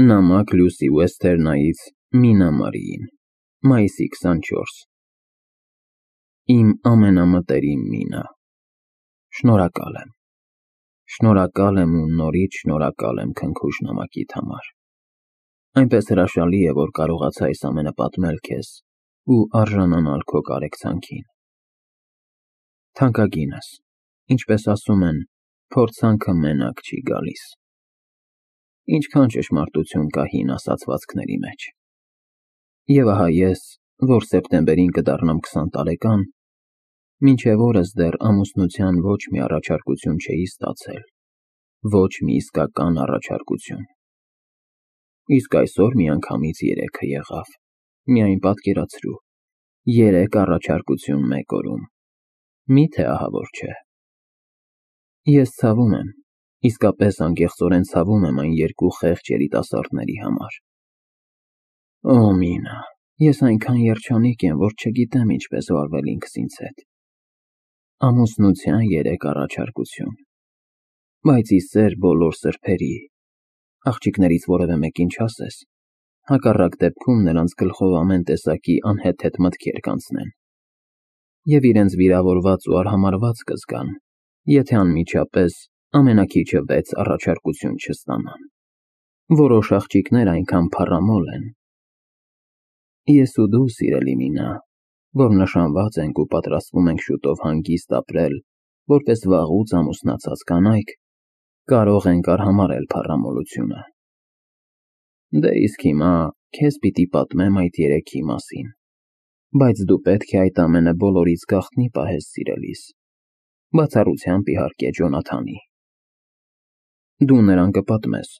Նամակ Լյուսի Ուեսթերնայից Մինա Մարիին, մայիսի 24։ Իմ ամենամտերիմ Մինա, շնորհակալ եմ։ Շնորհակալ եմ ու նորից շնորհակալ եմ քնքուշ նամակիդ համար։ Այնպես հրաշալի է, որ կարողացա այս ամենը պատմել քեզ ու արժանանալ քո կարեկցանքին։ Թանկագինս, ինչպես ասում են, փորձանքը մենակ չի գալիս։ Ինչքան ճշմարտություն կա հին ասացվածքների մեջ։ Եվ ահա ես, որ սեպտեմբերին կդառնամ 20 տարեկան, մինչև օրս դեռ ամուսնության ոչ մի առաջարկություն չէի ստացել, ոչ մի իսկական առաջարկություն։ Իսկ այսօր միանգամից 3-ը եղավ, միայն պատկերացրու, 3 առաջարկություն մեկ օրում, մի՞թե ահավոր չէ։ Ես ցավում եմ, իսկապես անկեղծորեն ցավում եմ այն երկու խեղճ երիտասարդների համար։ Օ, Մինա, ես այնքան երջանիկ եմ, որ չգիտեմ ինչպես վարվել ինքս ինձ հետ։ Ամուսնության 3 առաջարկություն, բայց ի սեր բոլոր սրբերի, աղջիկներից որևէ մեկին չասես, հակառակ դեպքում նրանց գլխով ամեն տեսակի անհեթեթ մտքեր կանցնեն, և իրենց վիրավորված ու արհամարհված կզգան, եթե անմիջապես ամենաքիչը 6 առաջարկություն չստանան։ Որոշ աղջիկներ այնքան փառամոլ են։ Ես ու դու, սիրելի Մինա, որ նշանված ենք ու պատրաստվում ենք շուտով հանգիստ ապրել, որպես վաղուց ամուսնացած կանայք, կարող ենք արհամարհել փառամոլությունը։ Դե իսկ հիմա քեզ պիտի պատմեմ այդ 3-ի մասին, բայց դու պետք է այդ ամենը բոլորից գաղտնի պահես, սիրելիս, բացառությամբ իհարկե Ջոնաթանի։ Դու նրան կպատմես,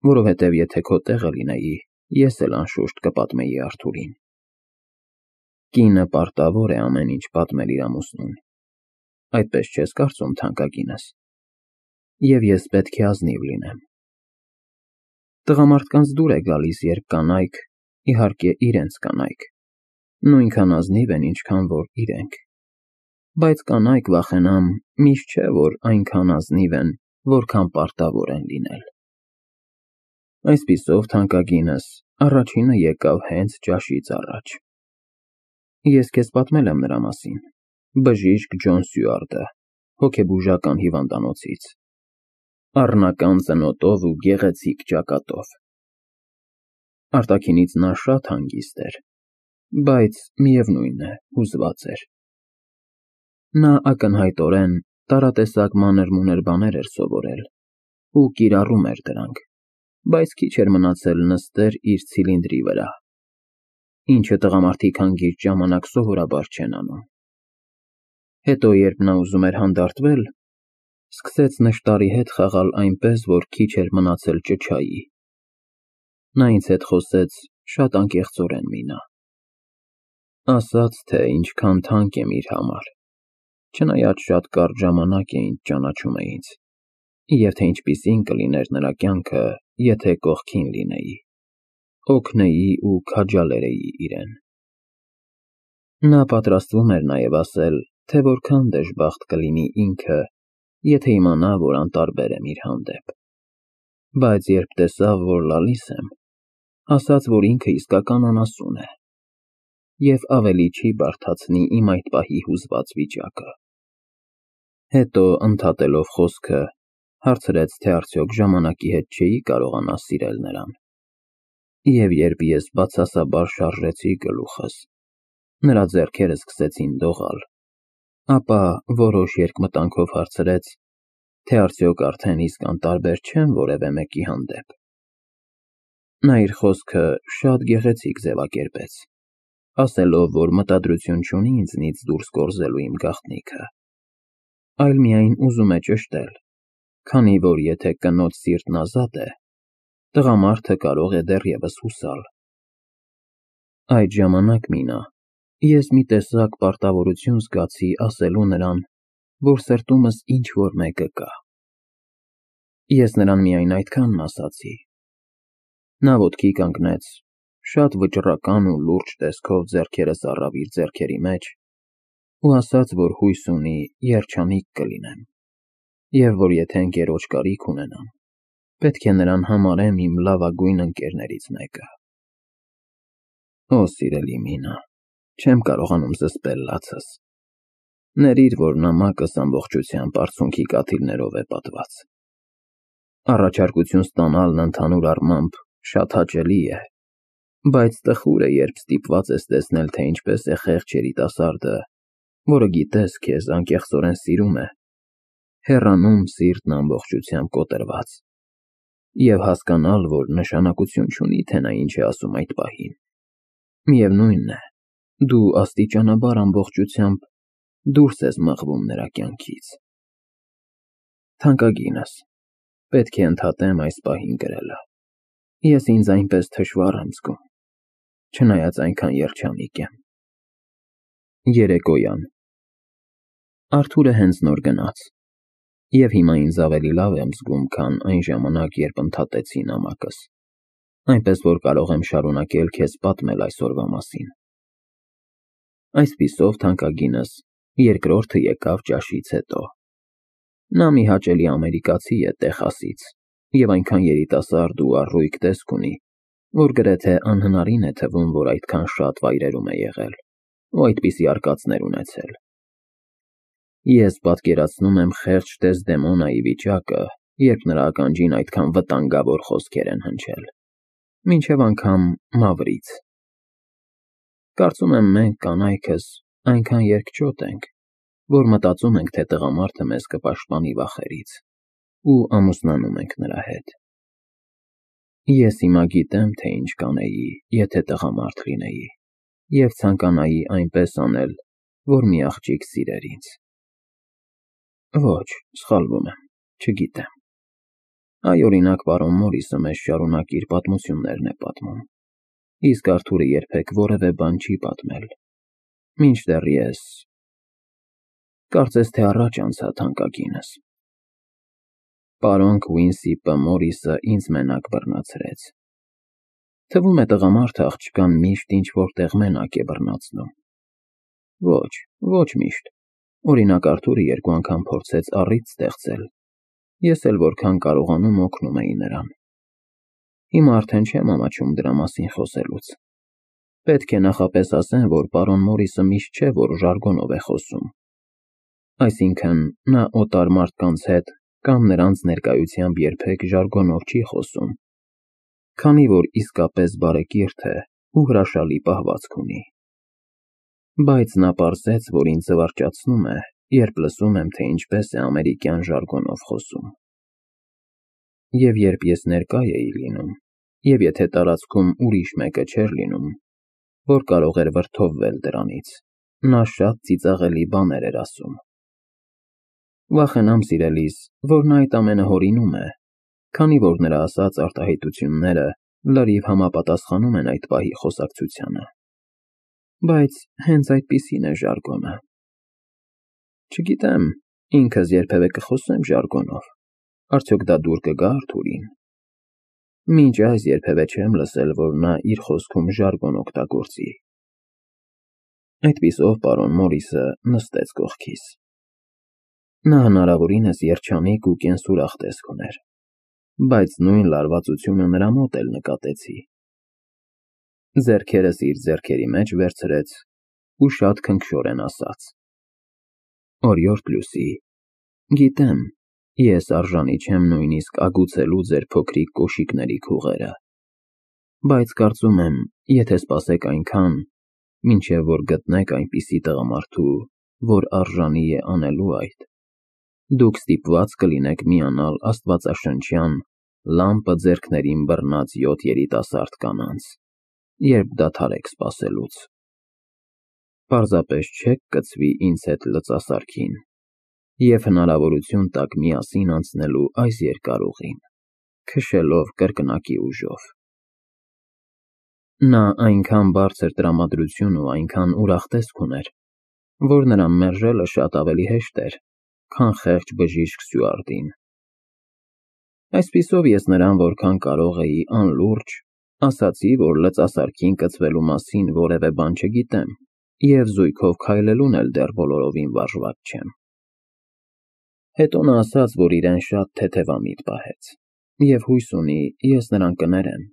որովհետև եթե քո տեղը լինեի, ես էլ անշուշտ կպատմեի Արթուրին։ Կինը պարտավոր է ամեն ինչ պատմել իր ամուսնուն, այդպես չես կարծում, թանկագինս, և ես պետք է ազնիվ լինեմ։ Տղամարդկանց դուր է գալիս, երբ կանայք, իհարկե իրենց կանայք, նույնքան ազնիվ են, ինչքան որ իրենք, բայց կանայք, վախենամ, միշտ չէ, որ այնքան ազնիվ են, որքան պարտավոր են լինել։ Այսպիսով, թանկագինս, առաջինը եկավ հենց ճաշից առաջ։ Ես քեզ պատմել եմ նրա մասին, բժիշկ Ջոն Սյուարտը, հոգեբուժական հիվանդանոցից, առնական ծնոտով ու գեղեցիկ ճակատով։ Արտաքինից նա շատ հանգիստ էր, բայց միևնույն է, հուզված էր։ Նա ակնհայտորեն տարատեսակ մանր-մունր բաներ էր սովորել ու կիրառում էր դրանք, բայց քիչ էր մնացել նստեր իր ցիլինդրի վրա, ինչը տղամարդիկ հանգիստ ժամանակ սովորաբար չեն անում։ Հետո, երբ նա ուզում էր հանդարտվել, սկսեց նշտարի հետ խաղալ այնպես, որ քիչ էր մնացել ճչայի։ Նա ինձ հետ խոսեց շատ անկեղծորեն, Մինա։ Ասաց, թե ինչքան թանկ եմ իր համար, չնայած շատ կարճ ժամանակ է ինչ ճանաչում է ինձ, և թե ինչպիսին կլիներ նրա կյանքը, եթե կողքին լինեի, օգնեի ու քաջալերեի իրեն։ Նա պատրաստվում էր նաև ասել, թե որքան դժբախտ կլինի ինքը, եթե իմանա, որ անտարբեր եմ իր հանդեպ, բայց երբ տեսավ, որ լալիս եմ, ասաց, որ ինքը իսկական անասուն է և ավելի չի բարդացնի իմ այդ պահի հուզված վիճակը։ Հետո, ընդհատելով խոսքը, հարցրեց, թե արդյոք ժամանակի հետ չէի կարողանա սիրել նրան, և երբ ես բացասաբար շարժեցի գլուխս, նրա ձեռքերը սկսեցին դողալ, ապա որոշ երկմտանքով հարցրեց, թե արդյոք արդեն իսկ անտարբեր չեմ որևէ մեկի հանդեպ։ Նա իր խոսքը շատ գեղեցիկ ձևակերպեց, ասելով, որ մտադրություն չունի ինձնից դուրս կորզելու իմ գաղտնիքը, այլ միայն ուզում է ճշտել, քանի որ եթե կնոջ սիրտն ազատ է, տղամարդը կարող է դեռևս հուսալ։ Այդ ժամանակ, Մինա, ես մի տեսակ պարտավորություն զգացի ասելու նրան, որ սրտումս ինչ-որ մեկը կա։ Ես նրան միայն այդքանն ասացի։ Նա ոտքի կանգնեց, շատ վճռական ու լուրջ տեսքով ձեռքերս առավ իր ձեռքերի մեջ ու ասաց, որ հույս ունի երջանիկ կլինեմ, և որ եթե ընկերոջ կարիք ունենամ, Պետք է նրան համարեմ իմ լավագույն ընկերներից մեկը։ Օ, սիրելի Մինա, չեմ կարողանում զսպել լացս։ Ներիր, որ նամակս ամբողջությամբ արցունքի կաթիլներով է պատված։ Առաջարկություն ստանալն ընդհանուր առմամբ շատ հաճելի է, բայց տխուր է, երբ ստիպված ես տեսնել, թե ինչպես է խեղճ երիտասարդը, որը գիտես քեզ անկեղծորեն սիրում է, հեռանում սիրտն ամբողջությամբ կոտրված, և հասկանալ, որ նշանակություն չունի, թե նա ինչ է ասում այդ պահին։ Միևնույնն է, դու աստիճանաբար ամբողջությամբ դուրս ես մղվում նրա կյանքից։ Թանկագինս, պետք է ընդհատեմ այս պահին գրելը։ Ես ինձ այնպես թշվառ եմ զգում, չնայած այնքան երջանիկ եմ։ Երեկոյան Արթուրը հենց նոր գնաց, և հիմա ինձ ավելի լավ եմ զգում, քան այն ժամանակ, երբ ընդհատեցի նամակս, այնպես որ կարող եմ շարունակել քեզ պատմել այսօրվա մասին։ Այսպիսով, թանկագինս, երկրորդը եկավ ճաշից հետո։ Նա մի հաճելի ամերիկացի է Տեխասից, և այնքան երիտասարդ ու առույգ տեսք ունի, որ գրեթե անհնարին է թվում, որ այդքան շատ վայրերում է եղել ու այդպիսի արկածներ ունեցել։ Ես պատկերացնում եմ խեղճ Դեսդեմոնայի վիճակը, երբ նրա ականջին այդքան վտանգավոր խոսքեր են հնչել, մինչև անգամ Մավրից։ Կարծում եմ մենք կանայքս այնքան երկճոտ ենք, որ մտածում ենք, թե տղամարդը մեզ կպաշտպանի վախերից ու ամուսնանում ենք նրա հետ։ Ես հիմա գիտեմ, թե ինչ կանեի, եթե տղամարդ լինեի, և ցանկանայի այնպես անել, որ մի աղջիկ սիրեր ինձ։ Ոչ, սխալվում եմ, չգիտեմ։ Այ, օրինակ, պարոն Մորիսը մեզ շարունակ իր պատմություններն է պատմում, իսկ Արթուրը երբեք որևէ բան չի պատմել, մինչդեռ ես… Կարծես թե առաջ անցա, թանկագինս։ Պարոն Քվինսիպը Մորիսը ինձ մենակ բռնացրեց։ Թվում է տղամարդը աղջկան միշտ ինչ-որ տեղ մենակ է բռնացնում։ Ոչ, ոչ միշտ։ Օրինակ Արթուրը երկու անգամ փորձեց առիթ ստեղծել, ես էլ որքան կարողանում օգնում էի նրան։ Հիմա արդեն չեմ ամաչում դրա մասին խոսելուց։ Պետք է նախապես ասեմ, որ պարոն Մորիսը միշտ չէ, որ ժարգոնով է խոսում։ Այսինքն, նա օտար մարդկանց հետ կամ նրանց ներկայությամբ երբեք ժարգոնով չի խոսում, քանի որ իսկապես բարեկիրթ է ու հրաշալի պահվածք ունի։ Բայց նա պարզեց, որ ինձ զվարճացնում է, երբ լսում եմ, թե ինչպես է ամերիկյան ժարգոնով խոսում։ Եվ երբ ես ներկա էի լինում, և եթե տարածքում ուրիշ մեկը չէր լինում, որ կարող էր վրդովվել դրանից, նա շատ ծիծաղելի բաներ էր ասում։ Վախենամ, սիրելիս, որ նա այդ ամենը հորինում է, քանի որ նրա ասած արտահայտությունները լրիվ համապատասխանում են այդ պահի խոսակցությանը։ Բայց հենց այդպիսին է ժարգոնը։ Չգիտեմ, ինքս երբևէ կխոսեմ ժարգոնով, արդյոք դա դուր կգա Արթուրին։ Մինչ այս երբևէ չեմ լսել, որ նա իր խոսքում ժարգոն օգտագործի։ Այդպիսով պարոն Մորիսը նստեց կողքիս։ Նա հնարավորինս երջանիկ ու կենսուրախ տեսք ուներ, բայց նույն լարվածությունը նրա մոտ էլ նկատեցի։ Ձեռքերս իր ձեռքերի մեջ վերցրեց ու շատ քնքշորեն ասաց. Օրիորդ Լուսի, գիտեմ, ես արժանի չեմ նույնիսկ ագուցելու ձեր փոքրիկ կոշիկների քուղերը, բայց կարծում եմ, եթե սպասեք այնքան, մինչև որ գտնեք այնպիսի տղամարդու, որ արժանի է անելու այդ, դուք ստիպված կլինեք միանալ աստվածաշնչյան լամպը ձեռքներին բռնած 7 երիտասարդ կանանց, երբ դադարեք սպասելուց։ Պարզապես չեք կցվի ինձ հետ լծասարքին և հնարավորություն տաք միասին անցնելու այս երկար ուղին, քշելով կրկնակի ուժով։ Նա այնքան բարձր տրամադրություն ու այնքան ուրախ տեսք ուներ, որ նրան մերժելը շատ ավելի հեշտ էր, քան խեղճ բժիշկ Սյուարտին։ Այսպիսով ես նրան որքան կարող էի անլուրջ ասացի, որ լծասարքին կցվելու մասին որևէ բան չգիտեմ և զույգով քայլելուն էլ դեռ բոլորովին վարժված չեմ։ Հետո նա ասաց, որ իրեն շատ թեթևամիտ պահեց, Եվ հույս ունի, ես նրան կներեմ,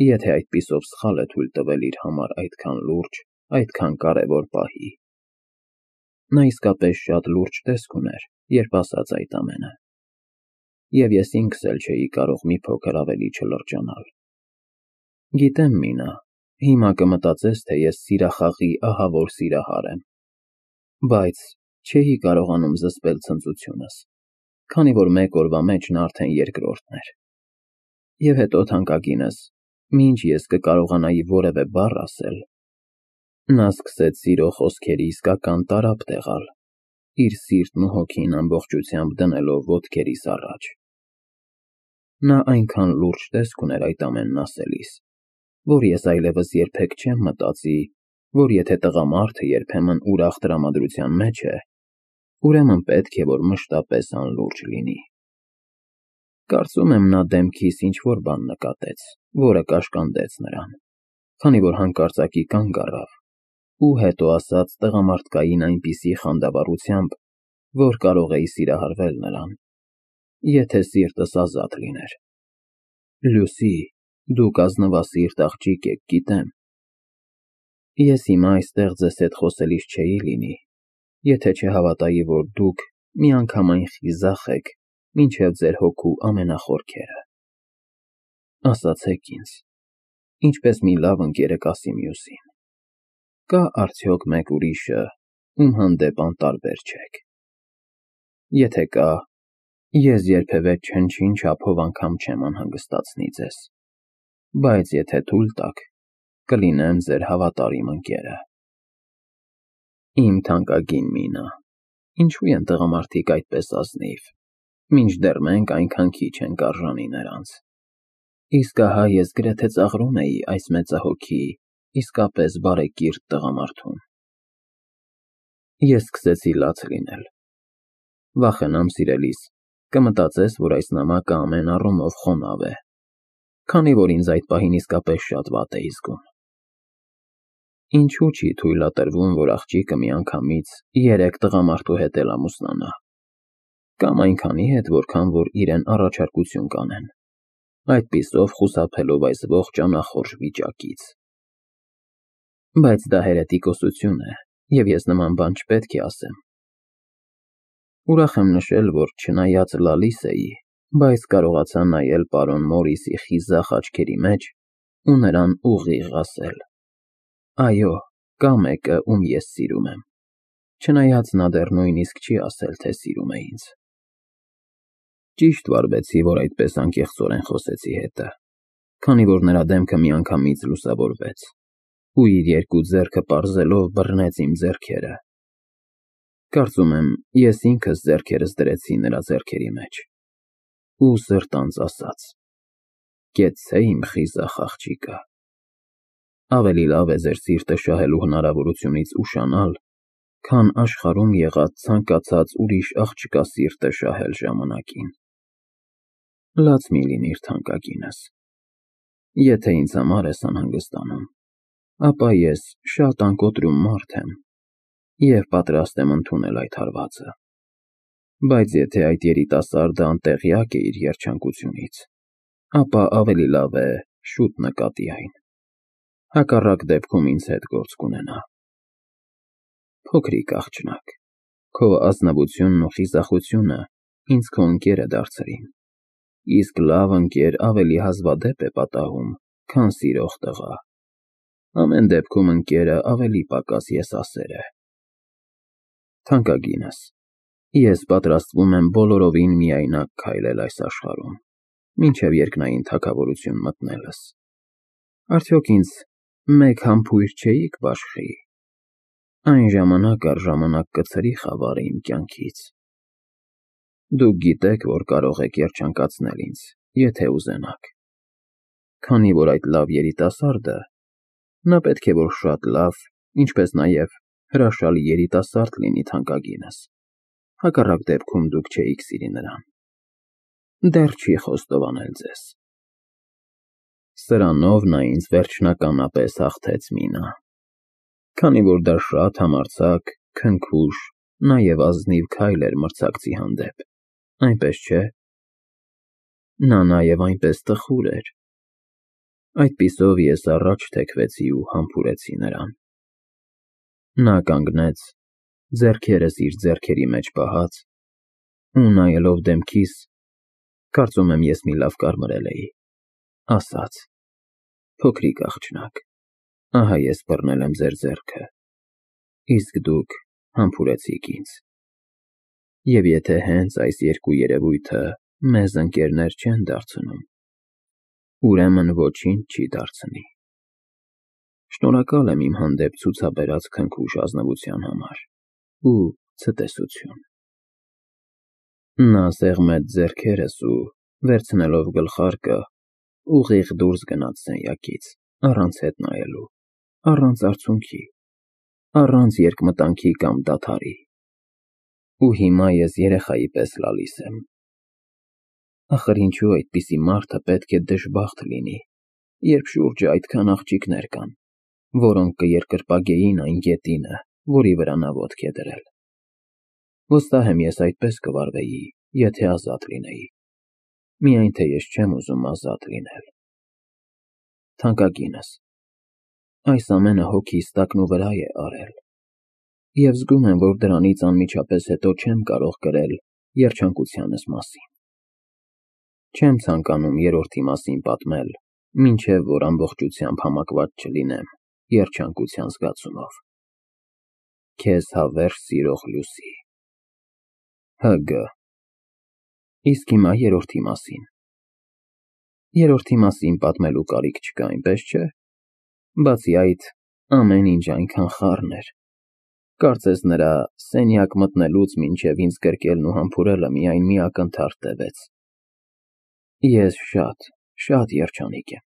եթե այդպիսով սխալ է թույլ տվել իր համար այդքան լուրջ, այդքան կարևոր պահի։ Նա իսկապես շատ լուրջ տեսք ուներ, երբ ասաց այդ ամենը։ Եվ ես ինքս էլ չէի կարող մի փոքր ավելի չլրջանալ։ Գիտեմ, Մինա, հիմա կմտածես, թե ես սիրախաղի ահավոր սիրահար եմ, բայց չէի կարողանում զսպել ցնծությունս, քանի որ մեկ օրվա մեջ նա արդեն երկրորդն էր։ Եվ հետո թանկագինս, մինչ ես կկարողանայի որևէ բառ ասել, նա սկսեց սիրո խոսքերի իսկական տարափ տեղալ, իր սիրտն ու հոգին ամբողջությամբ դնելով ոտքերիս առաջ։ Նա այնքան լուրջ տեսք ուներ այդ ամենն ասելիս, որ ես այլևս երբեք չեմ մտածի, որ եթե տղամարդը երբեմն ուրախ տրամադրության մեջ է, ուրեմն պետք է, որ մշտապես անլուրջ լինի։ Կարծում եմ նա դեմքիս ինչ-որ բան նկատեց, որը կաշկանդեց նրան, քանի որ հանկարծակի կանգ առավ ու հետո ասաց տղամարդկային այնպիսի խանդավառությամբ, որ կարող էի սիրահարվել նրան, եթե սիրտս ազատ լիներ։ Լուսի, դուք ազնվասիրտ աղջիկ եք, գիտեմ։ Ես հիմա այստեղ ձեզ հետ խոսելիս չէի լինի, եթե չհավատայի, որ դուք միանգամայն խիզախ եք մինչև ձեր հոգու ամենախորքերը։ Ասացեք ինձ, ինչպես մի լավ ընկերը կասի մյուսին, կա արդյոք մեկ ուրիշը, ում հանդեպ անտարբեր չեք։ Եթե կա, ես երբևէ չնչին չափով անգամ չեմ անհանգստացնի ձեզ, բայց եթե թույլ տաք, կլինեմ ձեր հավատարիմ ընկերը։ Իմ թանկագին Մինա, ինչու են տղամարդիկ այդպես ազնիվ, մինչդեռ մենք այնքան քիչ ենք արժանի նրանց։ Իսկ ահա ես գրեթե ծաղրում էի այս մեծահոգի, իսկապես բարեկիրթ տղամարդում։ Ես սկսեցի լաց լինել։ Վախենամ, սիրելիս, կմտածես, որ այս նամակը ամեն առումով խոնավ է, քանի որ ինձ այդ պահին իսկապես շատ վատ էի զգում։ Ինչու չի թույլատրվում, որ աղջիկը միանգամից 3 տղամարդու հետ էլ ամուսնանա, կամ այնքանի հետ, որքան որ իրեն առաջարկություն կանեն, այդպիսով խուսափելով այս ողջ անախորժ վիճակից։ Բայց դա հերետիկոսություն է, և ես նման բան չպետք է ասեմ։ Ուրախ եմ նշել, որ չնայած լալիս էի, բայց կարողացա նայել պարոն Մորիսի խիզախ աչքերի մեջ ու նրան ուղիղ ասել. Այո, կա մեկը, ում ես սիրում եմ, չնայած նա դեռ նույնիսկ չի ասել, թե սիրում է ինձ։ Ճիշտ վարվեցի, որ այդպես անկեղծորեն խոսեցի հետը, քանի որ նրա դեմքը միանգամից լուսավորվեց, ու իր երկու ձեռքը պարզելով բռնեց իմ ձեռքերը։ Կարծում եմ, ես ինքս ձեռքերս դրեցի նրա ձեռքերի մեջ ու սրտանց ասաց. Կեցցե իմ խիզախ աղջիկը։ Ավելի լավ է ձեր սիրտը շահելու հնարավորությունից ուշանալ, քան աշխարհում եղած ցանկացած ուրիշ աղջկա սիրտը շահել ժամանակին։ Լաց մի լինիր, թանկագինս։ Եթե ինձ համար ես անհանգստանում, ապա ես շատ անկոտրում մարդ եմ և պատրաստ եմ ընդունել այդ հարվածը։ Բայց եթե այդ երիտասարդը անտեղյակ է իր երջանկությունից, ապա ավելի լավ է շուտ նկատի այն։ Հակառակ դեպքում ինձ հետ գործ կունենա։ Փոքրիկ աղջնակ, քո ազնվությունն ու խիզախությունը ինձ քո ընկերը դարձրին, իսկ լավ ընկեր ավելի հազվադեպ է պատահում, քան սիրող տղա։ Ամեն դեպքում ընկերը ավելի պակաս եսասեր է։ Թանկագինս, ես պատրաստվում եմ բոլորովին միայնակ քայլել այս աշխարհում, մինչև երկնային թագավորություն մտնելս։ Արդյոք ինձ մեկ համբույր չէիք բաշխի։ Այն ժամանակ առ ժամանակ կցրի խավարը իմ կյանքից։ Դուք գիտեք, որ կարող եք երջանկացնել ինձ, եթե ուզենաք։ Քանի որ այդ լավ երիտասարդը, նա պետք է որ շատ լավ, ինչպես նաև հրաշալի երիտասարդ լինի, թանկագինս, հակառակ դեպքում դուք չէիք սիրի նրան։ Դեռ չի խոստովանել ձեզ։ Սրանով նա ինձ վերջնականապես հաղթեց, Մինա, քանի որ դա շատ համարձակ, քնքուշ, նաև ազնիվ քայլ էր մրցակցի հանդեպ, այնպես չէ։ Նա նաև այնպես տխուր էր։ Այդպիսով ես առաջ թեքվեցի ու համբուրեցի նրան։ Նա կանգնեց, ձեռքերս իր ձեռքերի մեջ պահած, ու նայելով դեմքիս, կարծում եմ ես մի լավ կարմրել էի, ասաց. «Փոքրիկ աղջնակ, ահա ես բռնել եմ ձեր ձեռքը, իսկ դուք համբուրեցիք ինձ։ Եվ եթե հենց այս երկու երևույթը մեզ ընկերներ չեն դարձնում, ուրեմն ոչինչ չի դարձնի։ Շնորհակալ եմ իմ հանդեպ ցուցաբերած քնքուշ ազնվության համար ու ցտեսություն»։ Նա սեղմեց ձեռքերս ու, վերցնելով գլխարկը, ուղիղ դուրս գնաց սենյակից, առանց հետ նայելու, առանց արցունքի, առանց երկմտանքի կամ դադարի։ Ու հիմա ես երեխայի պես լալիս եմ։ Ախր ինչու այդպիսի մարդը պետք է դժբախտ լինի, երբ շուրջը այդքան աղջիկներ կան, որոնք կերկրպագեին այն գետինը, որի վրա նա ոտք է դրել։ Վստահ եմ ես այդպես կվարվեի, եթե ազատ լինեի, միայն թե ես չեմ ուզում ազատ լինել։ Թանկագինս, այս ամենը հոգիս տակնուվրա է արել, և զգում եմ, որ դրանից անմիջապես հետո չեմ կարող կրել երջանկությանս մասին։ Չեմ ցանկանում երրորդի մասին պատմել, մինչև որ ամբողջությամբ համակված չլինեմ երջանկության զգացումով։ Քեզ հավերժ սիրող Լուսի։ Հ.Գ. Իսկ հիմա երրորդի մասին։ Երրորդի մասին պատմելու կարիք չկա, այնպես չէ։ Բացի այդ, ամեն ինչ այնքան խառն էր։ Կարծես նրա սենյակ մտնելուց մինչև ինձ գրկելն ու համբուրելը միայն մի ակնթարթ տևեց։ Ես շատ երջանիկ եմ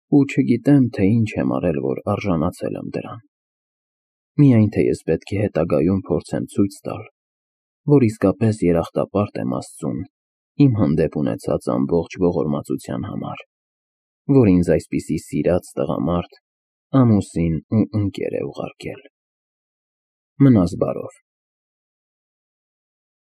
ու չգիտեմ, թե ինչ եմ արել, որ արժանացել եմ դրան։ Միայն թե ես պետք է հետագայում փորձեմ ցույց տալ, որ իսկապես երախտապարտ եմ Աստծուն իմ հանդեպ ունեցած ամբողջ ողորմածության համար, որ ինձ այսպիսի սիրած տղամարդ, ամուսին ու ընկեր է ուղարկել։ Մնաս բարով։